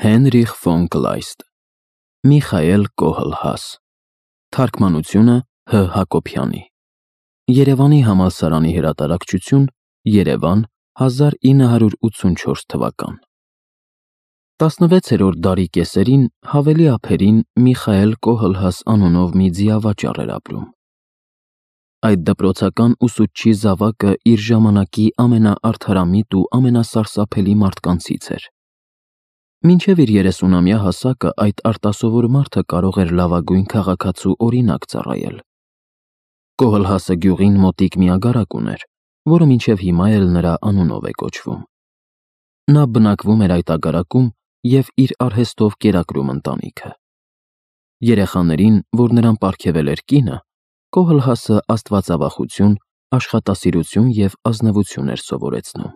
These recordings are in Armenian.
Հենրիխ ֆոն Կլայստ, Միխայել Կոհլհաս, Թարգմանությունը Հ. Հակոբյանի, Երևանի համալսարանի հրատարակչություն, Երևան, 1984 թվական։ 16-րդ դարի կեսերին հավելի ափերին Միխայել Կոհլհաս անունով մի ձիավաճառ էր ապրում։ Այդ դպրոցական ուսուցչի զավակը իր ժամանակի ամենաարդարամիտ ու ամենասարսափելի մարդկանցից էր։ Մինչև իր 30-ամյա հասակը այդ արտասովոր մարդը կարող էր լավագույն քաղաքացու օրինակ ծառայել։ Կոհլհասը գյուղին մոտիկ մի ագարակ ուներ, որը մինչև հիմա էլ նրա անունով է կոչվում։ Նա բնակվում էր այդ ագարակում և իր արհեստով կերակրում ընտանիքը։ Երեխաներին, որ նրան պարգևել էր կինը, Կոհլհասը աստվածավախություն, աշխատասիրություն և ազնվություն էր սովորեցնում։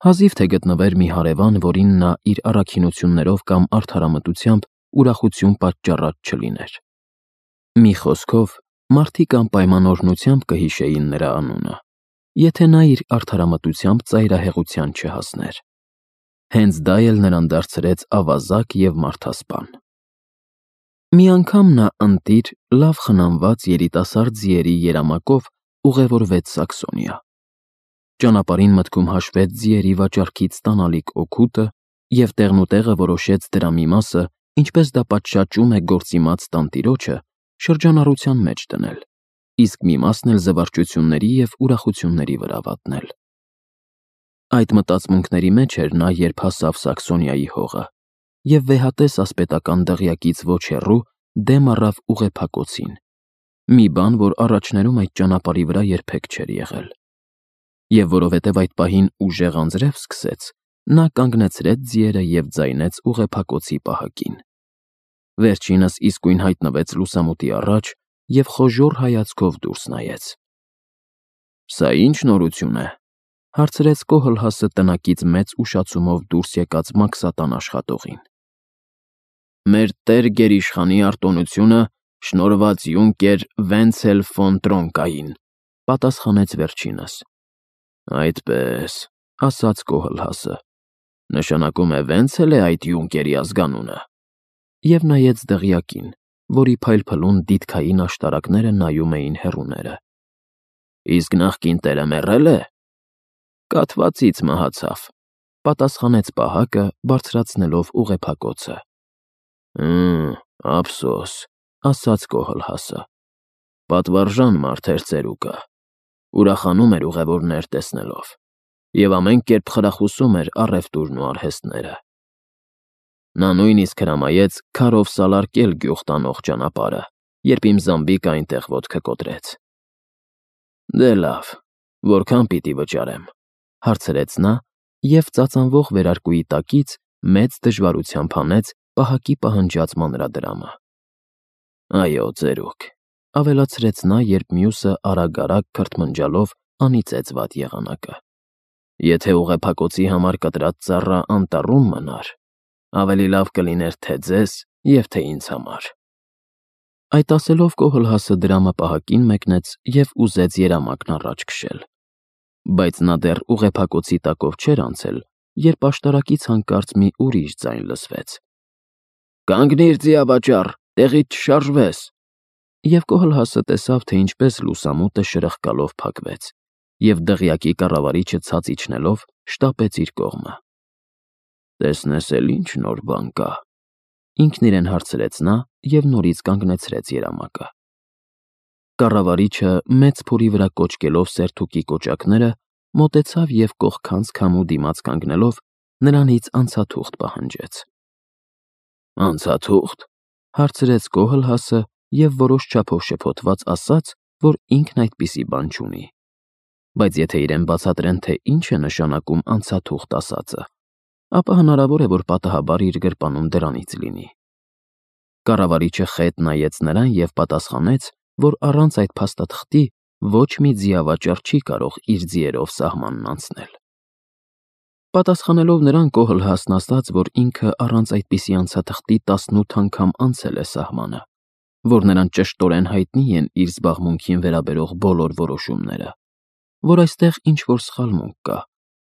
Հազիվ թե գտնվեր մի հարևան, որին նա իր առաքինություններով կամ արդարամտությամբ ուրախություն պատճառած չլիներ։ Մի խոսքով, մարդիկ անպայման կհիշեին նրա անունը, եթե նա իր արդարամտությամբ ծայրահեղության չհասներ։ Հենց դա էլ նրան դարձրեց ավազակ և մարդասպան։ Մի անգամ նա ընտիր, լավ խնամված երիտասարդ ձիերի երամակով ուղևորվեց Սաքսոնիա։ Ճանապարհին մտքում հաշվեց ձիերի վաճառքից ստանալիք օգուտը և տեղնուտեղը որոշեց դրա մի մասը, ինչպես դա պատշաճում է գործիմաց տանտիրոջը, շրջանառության մեջ դնել, իսկ մի մասն էլ զվարճությունների և ուրախությունների վրա վատնել։ Այդ մտածմունքների մեջ էր նա, երբ հասավ Սաքսոնիայի հողը և վեհատես ասպետական դղյակից ոչ հեռու դեմ առավ ուղեփակոցին, մի բան, որ առաջներում այդ ճանապարհի վրա երբեք չէր եղել։ Եվ որովհետև այդ պահին ուժեղ անձրև սկսեց, նա կանգնեցրեց ձիերը և ձայնեց ուղեփակոցի պահակին։ Վերջինս իսկույն հայտնվեց լուսամուտի առաջ և խոժոռ հայացքով դուրս նայեց։ «Սա ի՞նչ նորություն է», հարցրեց Կոհլհասը տնակից մեծ ուշացումով դուրս եկած մաքսատան աշխատողին։ «Մեր տեր գերիշխանի արտոնությունը շնորհված յունկեր Վենցել ֆոն Տրոնկային», պատասխանեց վերջինս։ «Այդպես», ասաց Կոհլհասը, «նշանակում է Վենցել է այդ յունկերի ազգանունը», և նայեց դղյակին, որի փայլփլուն դիդքային աշտարակները նայում էին հեռուները։ «Իսկ նախկին տերը մեռե՞լ է»։ «Կաթվածից մահացավ», պատասխանեց պահակը, բարձրացնելով ուղեփակոցը։ Ափսոս, ասաց Կոհլհասը, պատվարժան մարդ էր ծերուկը, ուրախանում էր ուղևորներ տեսնելով և ամեն կերպ խրախուսում էր առևտուրն ու արհեստները։ Նա նույնիսկ հրամայեց քարով սալարկել գյուղ տանող ճանապարհը, երբ իմ զամբիկը այնտեղ ոտքը կոտրեց։ «Դե լավ, որքան պիտի վճարեմ», հարցրեց նա և ծածանվող վերարկուի տակից մեծ դժվարությամբ հանեց պահակի պահանջած մանրադրամը։ «Այո, ծերուկ», ավելացրեց նա, երբ մյուսը արագ-արագ քրթմնջալով անիծեց վատ եղանակը։ «Եթե ուղեփակոցի համար կտրած ծառա անտառում մնար, ավելի լավ կլիներ թե ձեզ և թե ինձ համար»։ Այդ ասելով Կոհլհասը դրամը պահակին մեկնեց և ուզեց երամակն առաջ քշել։ Բայց նա դեռ ուղեփակոցի տակով չէր անցել, երբ աշտարակից հանկարծ մի ուրիշ ձայն լսվեց. «Կանգնիր, ձիավաճառ, տեղից չշարժվես»։ Եվ Կոհլհասը տեսավ, թե ինչպես լուսամուտը շրխկալով փակվեց, և դղյակի կառավարիչը ցած իջնելով շտապեց իր կողմը։ «Տեսնես էլ ինչ նոր բան կա», ինքն իրեն հարցրեց նա և նորից կանգնեցրեց երամակը։ Կառավարիչը, մեծ փորի վրա կոճկելով սերթուկի կոճակները, մոտեցավ և կողքանց քամու դիմաց կանգնելով նրանից անցաթուղթ պահանջեց։ «Անցաթուղթ», հարցրեց Կոհլհասը և որոշ չափով շփոթված ասաց, որ ինքն այդպիսի բան չունի։ Բայց եթե իրեն բացատրեն, թե ինչ է նշանակում անցաթուղթ ասածը, ապա հնարավոր է, որ պատահաբար իր գրպանում դրանից լինի։ Կառավարիչը խետ նայեց նրան և պատասխանեց, որ առանց այդ փաստաթղթի ոչ մի ձիավաճառ չի կարող իր ձիերով սահմանն անցնել։ Պատասխանելով նրան, Կոհլհասն ասաց, որ ինքը առանց այդպիսի անցաթղթի 18 անգամ անցել է սահմանը, որ նրան ճշտորեն հայտնի են իր զբաղմունքին վերաբերող բոլոր որոշումները, որ այստեղ ինչ-որ սխալմունք կա,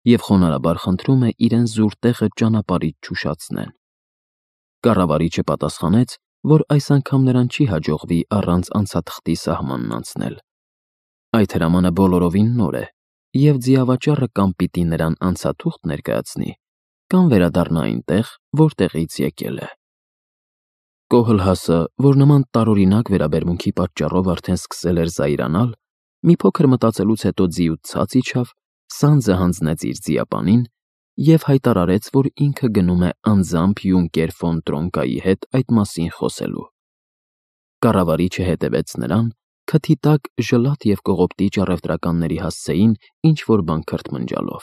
և խոնարհաբար խնդրում է իրեն զուր տեղը ճանապարհից չուշացնեն։ Կառավարիչը պատասխանեց, որ այս անգամ նրան չի հաջողվի առանց անցաթղթի սահմանն անցնել։ Այդ հրամանը բոլորովին նոր է, և ձիավաճառը կամ պիտի նրան անցաթուղթ ներկայացնի, կամ վերադառնա այնտեղ, որտեղից եկել է։ Կոհլհասը, որ նման տարօրինակ վերաբերմունքի պատճառով արդեն սկսել էր զայրանալ, մի փոքր մտածելուց հետո ձիուց ցած իջավ, սանձը հանձնեց իր ձիապանին և հայտարարեց, որ ինքը գնում է անձամբ Յունկեր ֆոն Տրոնկայի հետ այդ մասին խոսելու։ Կառավարիչը հետևեց նրան, քթի տակ ժլատ և կողոպտիչ առևտրականների հասցեին ինչ-որ բան քրթմնջալով,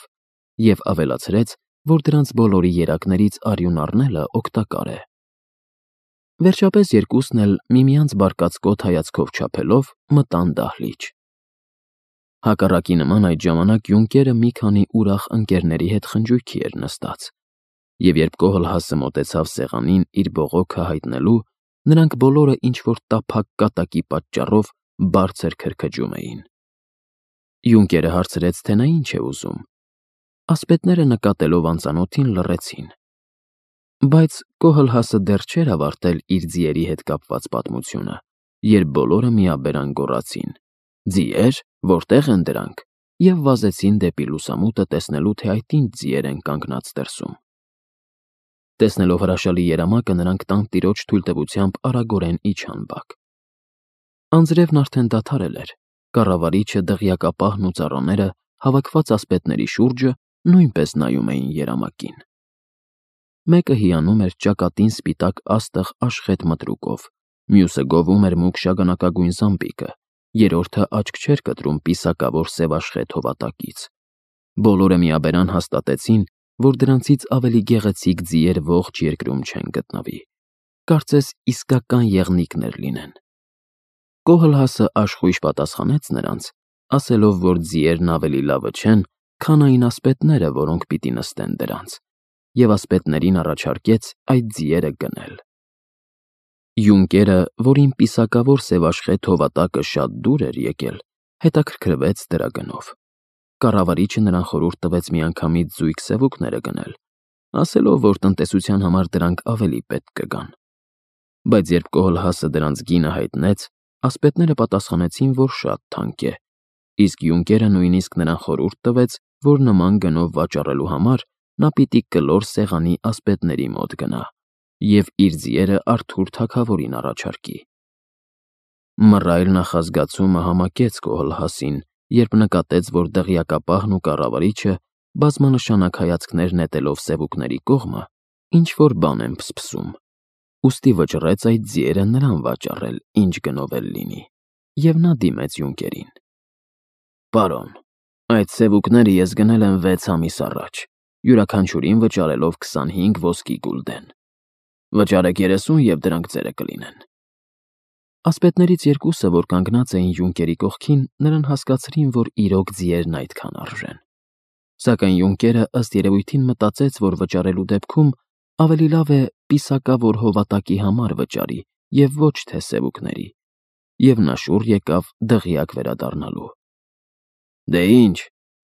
և ավելացրեց, որ դրանց բոլորի երակներից արյուն առնելը օգտակար է։ Վերջապես երկուսն էլ միմյանց բարկացկոտ հայացքով չափելով մտան դահլիճ։ Հակառակի նման այդ ժամանակ Յունկերը մի քանի ուրախ ընկերների հետ խնջույքի էր նստած, և երբ Կոհլհասը մոտեցավ սեղանին իր բողոքը հայտնելու, նրանք բոլորը ինչ-որ տափակ կատակի պատճառով բարձր քրքջում էին։ Յունկերը հարցրեց, թե նա ինչ է ուզում։ Ասպետները նկատելով անծանոթին լռեցին։ Բայց Կոհլհասը դեռ չէր ավարտել իր ձիերի հետ կապված պատմությունը, երբ բոլորը միաբերան գոռացին. «Ձիե՞ր, որտե՞ղ են դրանք», և վազեցին դեպի լուսամուտը տեսնելու, թե այդ ինչ ձիեր են կանգնած դրսում։ Տեսնելով հրաշալի երամակը, նրանք տանտիրոջ թույլտվությամբ արագորեն իջան բակ։ Անձրևն արդեն դադարել էր, կառավարիչը, դղյակապահն ու ծառաները, հավաքված ասպետների շուրջը, նույնպես նայում էին երամակին։ Մեկը հիանում էր ճակատին սպիտակ աստղ աշխետ մտրուկով, մյուսը գովում էր մուգ շագանակագույն զամբիկը, երրորդը աչք չէր կտրում պիսակավոր սևաշխետ հովատակից։ Բոլորը միաբերան հաստատեցին, որ դրանցից ավելի գեղեցիկ ձիեր ողջ երկրում չեն գտնվի։ Կարծես իսկական եղնիկներ լինեն։ Կոհլհասը աշխույժ պատասխանեց նրանց, ասելով, որ ձիերն ավելի լավը չեն, քան այն ասպետները, որոնք պիտի նստեն դրանց, և ասպետներին առաջարկեց այդ ձիերը գնել։ Յունկերը, որին պիսակավոր սևաշխետ հովատակը շատ դուր էր եկել, հետաքրքրվեց դրա գնով։ Կառավարիչը նրան խորհուրդ տվեց միանգամից զույգ սևուկները գնել, ասելով, որ տնտեսության համար դրանք ավելի պետք կգան։ Բայց երբ Կոհլհասը դրանց գինը հայտնեց, ասպետները պատասխանեցին, որ շատ թանկ է, իսկ Յունկերը նույնիսկ նրան խորհուրդ տվեց, որ նման գնով վաճառելու համար նա պիտի կլոր սեղանի ասպետների մոտ գնա և իր ձիերը Արթուր թագավորին առաջարկի։ Մռայլ նախազգացումը համակեց Կոհլհասին, երբ նկատեց, որ դղյակապահն ու կառավարիչը, բազմանշանակ հայացքներ նետելով սևուկների կողմը, ինչ-որ բան են փսփսում, ուստի վճռեց այդ ձիերը նրան վաճառել, ինչ գնով էլ լինի, և նա դիմեց Յունկերին. «Պարոն, այդ սևուկները ես գնել եմ 6 ամիս առաջ, յուրաքանչյուրին վճարելով 25 ոսկի գուլդեն։ Վճարեք 30 և դրանք ձերը կլինեն»։ Ասպետներից երկուսը, որ կանգնած էին Յունկերի կողքին, նրան հասկացրին, որ իրոք ձիերն այդքան արժեն։ Սակայն Յունկերը ըստ երևույթին մտածեց, որ վճարելու դեպքում ավելի լավ է պիսակավոր հովատակի համար վճարի և ոչ թե սևուկների, և նա շուռ եկավ դղյակ վերադառնալու։ «Դե ինչ»,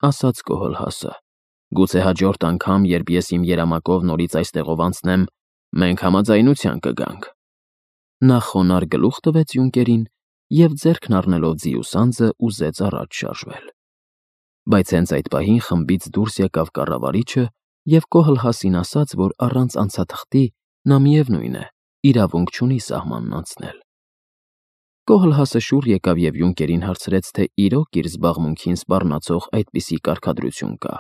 ասաց Կոհլհասը, «գուցե հաջորդ անգամ, երբ ես իմ երամակով նորից այստեղով անցնեմ, մենք համաձայնության կգանք»։ Նա խոնարհ գլուխ տվեց Յունկերին և ձեռքն առնելով ձիու սանձը ուզեց առաջ շարժվել։ Բայց հենց այդ պահին խմբից դուրս եկավ կառավարիչը և Կոհլհասին ասաց, որ առանց անցաթղթի նա միևնույն է, իրավունք չունի սահմանն անցնել։ Կոհլհասը շուռ եկավ և Յունկերին հարցրեց, թե իրոք իր զբաղմունքին սպառնացող այդպիսի կարգադրություն կա։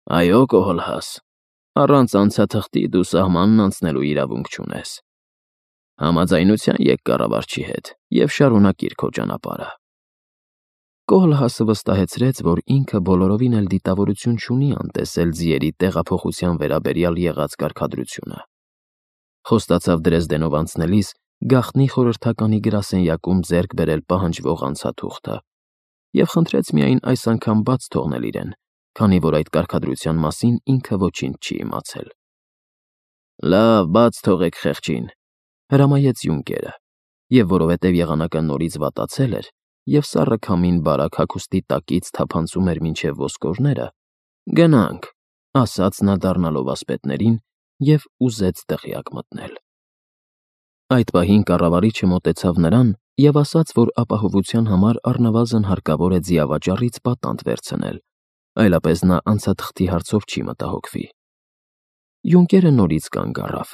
«Այո, Կոհլհաս, առանց անցաթղթի դու սահմանն անցնելու իրավունք չունես։ Համաձայնության եկ կառավարչի հետ և շարունակիր քո ճանապարհը»։ Կոհլհասը վստահեցրեց, որ ինքը բոլորովին էլ դիտավորություն չունի անտեսել ձիերի տեղափոխության վերաբերյալ եղած կարգադրությունը։ Խոստացավ Դրեզդենով անցնելիս գաղտնի խորհրդականի գրասենյակում ձեռք բերել պահանջվող անցաթուղթը և խնդրեց միայն այս անգամ բաց թողնել իրեն, քանի որ այդ կարգադրության մասին ինքը ոչինչ չի իմացել։ «Լավ, բաց թողեք խեղճին», հրամայեց Յունկերը, և որովհետև եղանակը նորից վատացել էր, և սառը քամին բարակ հագուստի տակից թափանցում էր մինչև ոսկորները, Գնանք, ասաց նա դառնալով ասպետներին և ուզեց դղյակ մտնել։ Այդ պահին կառավարիչը մոտեցավ նրան և ասաց, որ ապահովության համար առնվազն հարկավոր է ձիավաճառից պատանդ վերցնել, այլապես նա անցաթղթի հարցով չի մտահոգվի։ Յունկերը նորից կանգ առավ,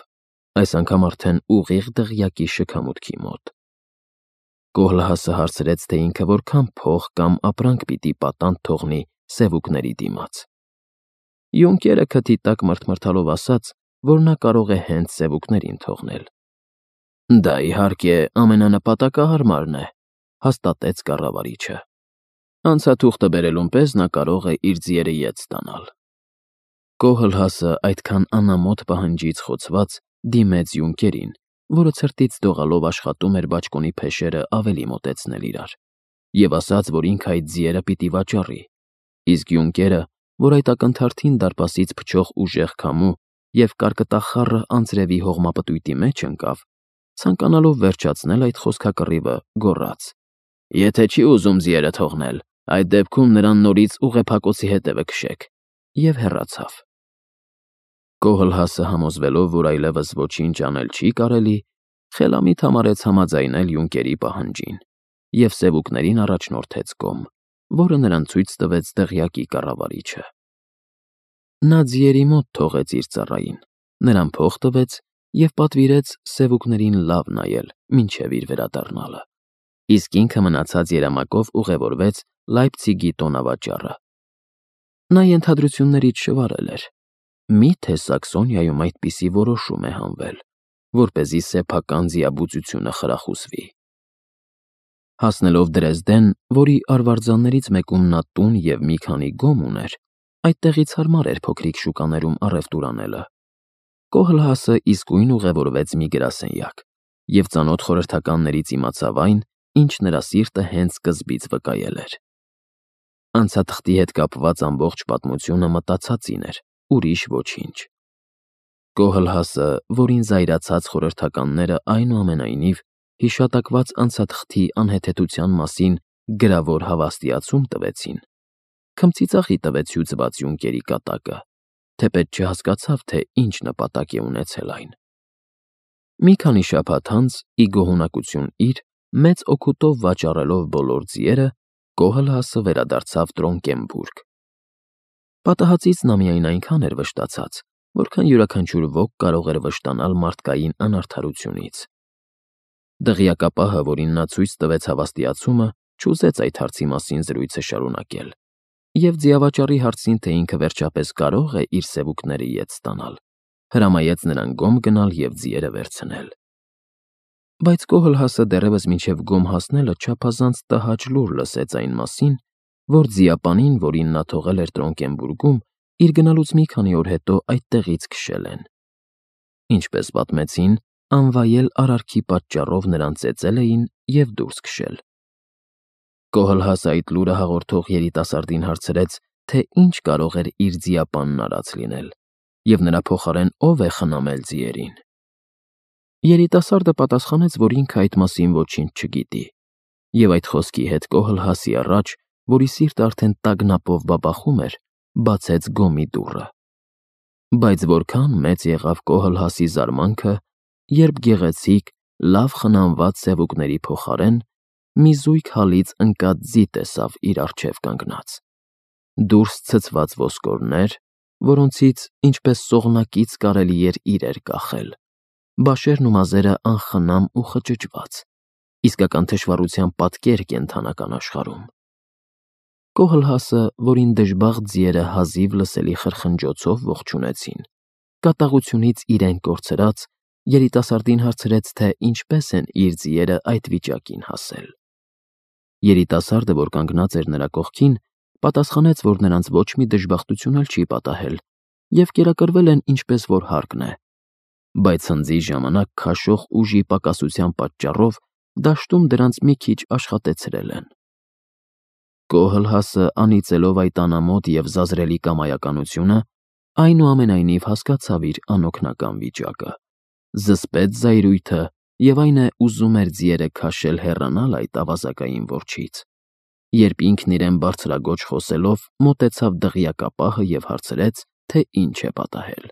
այս անգամ արդեն ուղիղ դղյակի շքամուտքի մոտ։ Կոհլհասը հարցրեց, թե ինքը որքան փող կամ ապրանք պիտի պատանդ թողնի սևուկների դիմաց։ Յունկերը քթի տակ մռթմռթալով ասաց, որ նա կարող է հենց սևուկներին թողնել։ Դա, իհարկե, ամենանպատակահարմարն է, հաստատեց կառավարիչը։ Անցաթուղթը բերելուն պես նա կարող է իր ձիերը ետ ստանալ։ Կոհլհասը այդքան անամոթ պահանջից խոցված դիմեց Յունկերին, որը ցրտից դողալով աշխատում էր բաճկոնի փեշերը ավելի մոտեցնել իրար, և ասաց, որ ինքը այդ ձիերը պիտի վաճառի, իսկ Յունկերը, որ այդ ակնթարթին դարպասից փչող ուժեղ քամու և կարկտախառը անձրևի հողմապտույտի մեջ ընկավ, ցանկանալով վերջացնել այդ խոսքակռիվը, գոռաց. «Եթե չի ուզում ձիերը թողնել, այդ դեպքում նրան նորից ուղեփակոցի հետևը քշեք», և հեռացավ։ Կոհլհասը համոզվելով, որ այլևս ոչինչ անել չի կարելի, խելամիտ համարեց համաձայնել Յունկերի պահանջին և սևուկներին առաջնորդեց կողմ, որը նրան ցույց տվեց դղյակի կառավարիչը։ Նա ձիերի մոտ թողեց իր ծառային, նրան փող տվեց և պատվիրեց սևուկներին լավ նայել, մինչև իր վերադառնալը, իսկ ինքը մնացած երամակով ուղևորվեց Լայպցիգի տոնավաճառը։ Նա ենթադրություններից շվարել էր. միթե Սաքսոնիայում այդպիսի որոշում է հանվել, որպեսզի սեփական ձիաբուծությունը խրախուսվի։ Հասնելով Դրեզդեն, որի արվարձաններից մեկում նա տուն և մի քանի գոմ ուներ, այդտեղից հարմար էր փոքրիկ շուկաներում առևտուր անելը, Կոհլհասը իսկույն ուղևորվեց մի գրասենյակ և ծանոթ խորհրդականներից իմացավ այն, ինչ նրա սիրտը հենց սկզբից վկայել էր։ Անցաթղթի հետ կապված ամբողջ պատմությունը մտածածին էր, ուրիշ ոչինչ։ Կոհլհասը, որին զայրացած խորհրդականները այնուամենայնիվ հիշատակված անցաթղթի անհեթեթության մասին գրավոր հավաստիացում տվեցին, քմծիծաղի տվեց հյուծված Յունկերի կատակը, թեպետ չհասկացավ, թե ինչ նպատակ է ունեցել այն։ Մի քանի շաբաթ անց, ի գոհունակություն իր, մեծ օգուտով վաճառելով բոլոր ձիերը, Կոհլհասը վերադարձավ Տրոնկենբուրգ։ Պատահածից նա միայն այնքան էր վշտացած, որքան յուրաքանչյուր ոք կարող էր վշտանալ մարդկային անարդարությունից։ Դղյակապահը, որին նա ցույց տվեց հավաստիացումը, չուզեց այդ հարցի մասին զրույցը շարունակել, և ձիավաճառի հարցին, թե ինքը վերջապես կարող է իր սևուկները ետ ստանալ, հրամայեց նրան գոմ գնալ և ձիերը վերցնել։ Բայց Կոհլհասը դեռևս մինչև գոմ հասնելը չափազանց տհաճ լուր լսեց այն մասին, որ ձիապանին, որին նա թողել էր Տրոնկենբուրգում, իր գնալուց մի քանի օր հետո այդտեղից քշել են։ Ինչպես պատմեցին, անվայել արարքի պատճառով նրան ծեծել էին և դուրս քշել։ Կոհլհասը այդ լուրը հաղորդող երիտասարդին հարցրեց, թե ինչ կարող էր իր ձիապանն արած լինել, և նրա փոխարեն ով է խնամել ձիերին։ Երիտասարդը պատասխանեց, որ ինքը այդ մասին ոչինչ չգիտի, և այդ խոսքի հետ Կոհլհասի առաջ, որի սիրտը արդեն տագնապով բաբախում էր, բացեց գոմի դուռը։ Բայց որքան մեծ եղավ Կոհլհասի զարմանքը, երբ գեղեցիկ, լավ խնամված սևուկների փոխարեն մի զույգ հալից ընկած ձի տեսավ իր առջև կանգնած։ Դուրս ցցված ոսկորներ, որոնցից, ինչպես սողնակից կարելի էր իրեր կախել, բաշերն ու մազերը անխնամ ու խճճված, իսկական թշվառության պատկեր կենդանական աշխարհում։ Կոհլհասը, որին դժբախտ ձիերը հազիվ լսելի խրխնջոցով ողջունեցին, կատաղությունից իրեն կորցրած, երիտասարդին հարցրեց, թե ինչպես են իր ձիերը այդ վիճակին հասել։ Երիտասարդը, որ կանգնած էր նրա կողքին, պատասխանեց, որ նրանց ոչ մի դժբախտություն էլ չի պատահել, և կերակրվել են ինչպես որ հարկն է, բայց հնձի ժամանակ քաշող ուժի պակասության պատճառով դաշտում դրանց մի քիչ աշխատեցրել են։ Կոհլհասը, անիծելով այդ անամոթ և զազրելի կամայականությունը, այնուամենայնիվ հասկացավ իր անօգնական վիճակը, զսպեց զայրույթը և այն է, ուզում էր ձիերը քաշել հեռանալ այդ ավազակային որջից, երբ ինքն իրեն բարձրագոչ խոսելով մոտեցավ դղյակապահը և հարցրեց, թե ինչ է պատահել։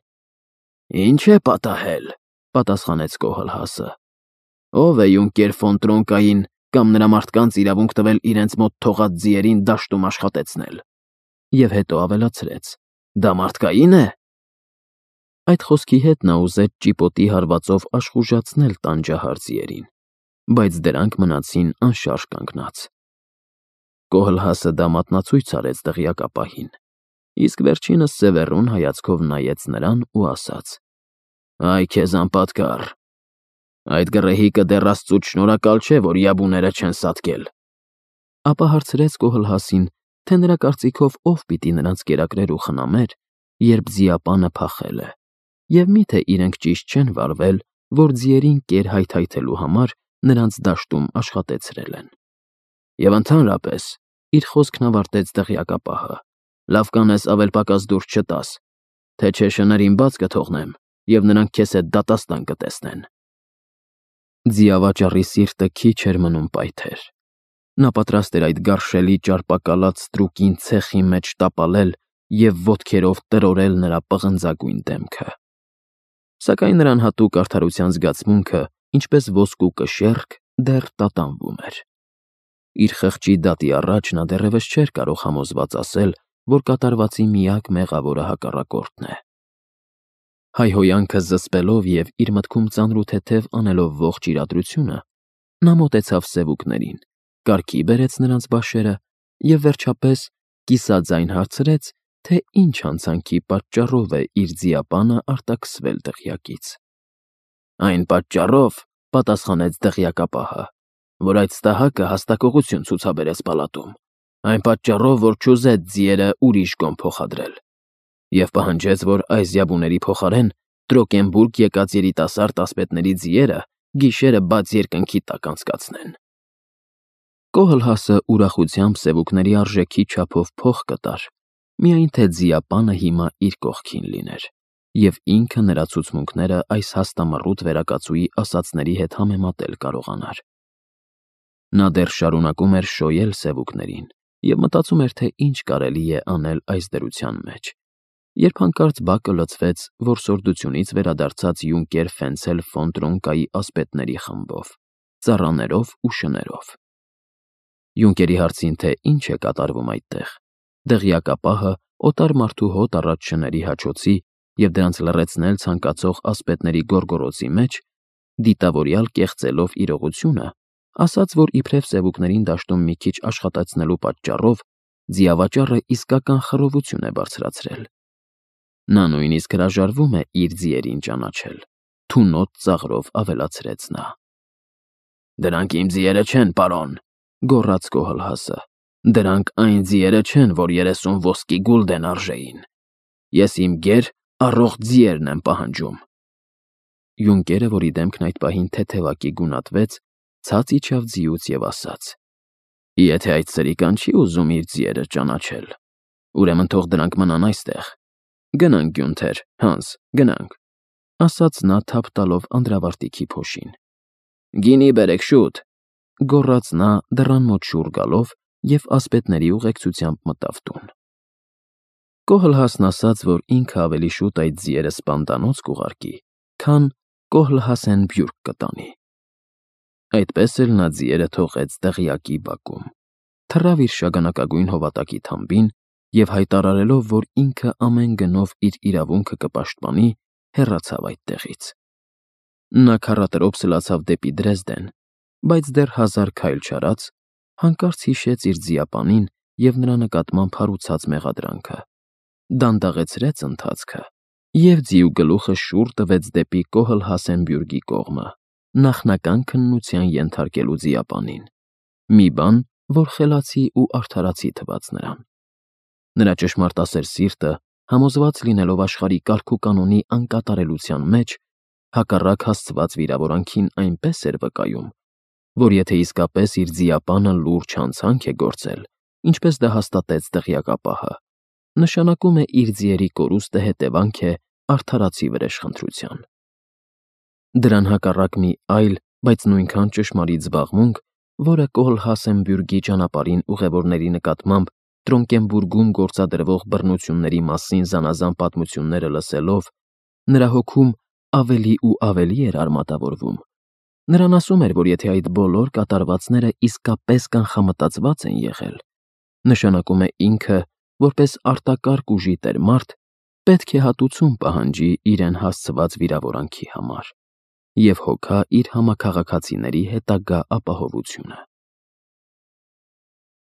«Ինչ է պատահել», պատասխանեց Կոհլհասը։ «Ով է Յունկեր ֆոն Տրոնկային կամ նրա մարդկանց իրավունք տվել իրենց մոտ թողած ձիերին դաշտում աշխատեցնել»։ Եվ հետո ավելացրեց. «Դա մարդկայի՞ն է»։ Այդ խոսքի հետ նա ուզեց ճիպոտի հարվածով աշխուժացնել տանջահար ձիերին, բայց դրանք մնացին անշարժ կանգնած։ Կոհլհասը դա մատնացույց արեց դղյակապահին, իսկ վերջինս սևեռուն հայացքով նայեց նրան ու ասաց. «Այ քեզ անպատկառ, այդ գռեհիկը դեռ Աստծուց շնորհակալ չէ, որ յաբուները չեն սատկել»։ Ապա հարցրեց Կոհլհասին, թե նրա կարծիքով ով պիտի նրանց կերակրեր ու խնամեր, երբ ձիապանը փախել է, և միթե իրենք ճիշտ չեն վարվել, որ ձիերին կեր հայթայթելու համար նրանց դաշտում աշխատեցրել են։ Եվ ընդհանրապես, իր խոսքն ավարտեց դղյակապահը, լավ կանես ավել պակաս դուրս չտաս, թե չէ շներին բաց կթողնեմ, և նրանք քեզ հետ դատաստան կտեսնեն։ Ձիավաճառի սիրտը քիչ էր մնում պայթեր։ Նա պատրաստ էր այդ գարշելի ճարպակալած ստրուկին ցեխի մեջ տապալել և ոտքերով տրորել նրա պղնձագույն դեմքը։ Սակայն նրան հատուկ արդարության զգացմունքը, ինչպես ոսկու կշեռք, դեռ տատանվում էր։ Իր խղճի դատի առաջ նա դեռևս չէր կարող համոզված ասել, որ կատարվածի միակ մեղավորը հակառակորդն է։ Հայհոյանքը զսպելով և իր մտքում ծանրութեթև անելով ողջ իրադրությունը, նա մոտեցավ սևուկներին, կարգի բերեց նրանց բաշերը և վերջապես կիսաձայն հարցրեց, թե ինչ հանցանքի պատճառով է իր ձիապանը արտաքսվել դղյակից։ «Այն պատճառով», պատասխանեց դղյակապահը, «որ այդ ստահակը հաստակողություն ցուցաբերեց պալատում, այն պատճառով, որ չուզեց ձիերը ուրիշ կողմ փոխադրել, և պահանջեց, որ այս յաբուների փոխարեն Տրոկենբուրգ եկած երիտասարդ ասպետների ձիերը գիշերը բաց երկնքի տակ անցկացնեն»։ Կոհլհասը ուրախությամբ սևուկների արժեքի չափով փող կտար, միայն թե ձիապանը հիմա իր կողքին լիներ, և ինքը նրա ցուցմունքները այս հաստամռութ վերակացուի ասածների հետ համեմատել կարողանար։ Նա դեռ շարունակում էր շոյել սևուկներին և մտածում էր, թե ինչ կարելի է անել այս դրության մեջ, երբ հանկարծ բակը լցվեց որսորդությունից վերադարձած Յունկեր Ֆենցել ֆոն Տրոնկայի ասպետների խմբով, ծառաներով ու շներով։ Յունկերի հարցին, թե ինչ է կատարվում այդտեղ, դղյակապահը օտար մարդու հոտ առած շների հաչոցի և դրանց լռեցնել ցանկացող ասպետների գոռգոռոցի մեջ, դիտավորյալ կեղծելով իրողությունը, ասաց, որ իբրև սևուկներին դաշտում մի քիչ աշխատեցնելու պատճառով ձիավաճառը իսկական խռովություն է բարձրացրել։ Նա նույնիսկ հրաժարվում է իր ձիերին ճանաչել, թունոտ ծաղրով ավելացրեց նա։ «Դրանք իմ ձիերը չեն, պարոն», գոռաց Կոհլհասը։ «Դրանք այն ձիերը չեն, որ 30 ոսկի գուլդեն արժեին։ Ես իմ գեր, առողջ ձիերն եմ պահանջում»։ Յունկերը, որի դեմքն այդ պահին թեթևակի գունատվեց, ցած իջավ ձիուց և ասաց. «Եթե այդ սրիկան չի ուզում իր ձիերը ճանաչել, ուրեմն թող դրանք մնան այստեղ։ Գնանք, Գյունթեր, Հանս, գնանք», ասաց նա թափ տալով անդրավարտիքի փոշին։ «Գինի բերեք, շուտ», գոռաց նա դռան մոտ շուռ գալով և ասպետների ուղեկցությամբ մտավ տուն։ Կոհլհասն ասաց, որ ինքը ավելի շուտ այդ ձիերը սպանդանոց կուղարկի, քան Կոհլհասենբյուրգ կտանի։ Այդպես էլ նա ձիերը թողեց դղյակի բակում, թռավ իր շագանակագույն հովատակի թամբին և հայտարարելով, որ ինքը ամեն գնով իր իրավունքը կպաշտպանի, հեռացավ այդտեղից։ Նա քառատրոփ սլացավ դեպի Դրեզդեն, բայց դեռ 1000 քայլ չարած, հանկարծ հիշեց իր ձիապանին և նրա նկատմամբ հարուցած մեղադրանքը, դանդաղեցրեց ընթացքը և ձիու գլուխը շուռ տվեց դեպի Կոհլհասենբյուրգի կողմը, նախնական քննության ենթարկելու ձիապանին, մի բան, որ խելացի ու արդարացի թվաց նրան։ Նրա ճշմարտասեր սիրտը, համոզված լինելով աշխարհի կարգուկանոնի անկատարելության մեջ, հակառակ հասցված վիրավորանքին այնպես էր վկայում, որ եթե իսկապես իր ձիապանը լուրջ հանցանք է գործել, ինչպես դա հաստատեց դղյակապահը, նշանակում է իր ձիերի կորուստը հետևանք է արդարացի վրեժխնդրության։ Դրան հակառակ մի այլ, բայց նույնքան ճշմարիտ զբաղմունք, որը Կոհլհասենբյուրգի ճանապարհին ուղևորների նկատմամբ Տրոնկենբուրգում գործադրվող բռնությունների մասին զանազան պատմությունները լսելով, նրա հոգում ավելի ու ավելի էր արմատավորվում։ Նրան ասում էր, որ եթե այդ բոլոր կատարվածները իսկապես կանխամտածված են եղել, նշանակում է ինքը, որպես արտակարգ ուժի տեր-մարդ, պետք է հատուցում պահանջի իրեն հասցված վիրավորանքի համար և հոգա իր համաքաղաքացիների հետագա ապահովությունը։